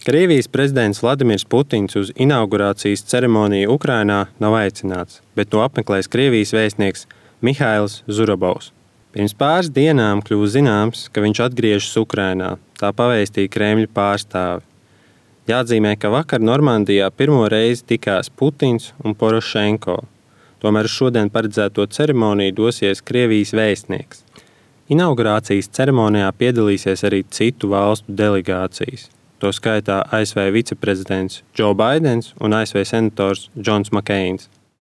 Krievijas prezidents Vladimirs Putins uz inaugurācijas ceremoniju Ukrainā nav aicināts, bet to apmeklēs Krievijas vēstnieks Mihails Zurabovs. Pirms pāris dienām kļuva zināms, ka viņš atgriežas Ukrainā, tā pavēstīja Kremļa pārstāvi. Jāatzīmē, ka vakar Normandijā pirmo reizi tikās Putins un Porošenko. Tomēr uz šodien paredzēto ceremoniju dosies Krievijas vēstnieks. Inaugurācijas ceremonijā piedalīsies arī citu valstu delegācijas. To skaitā ASV viceprezidents Joe Baidens un ASV senators Džons Makeins.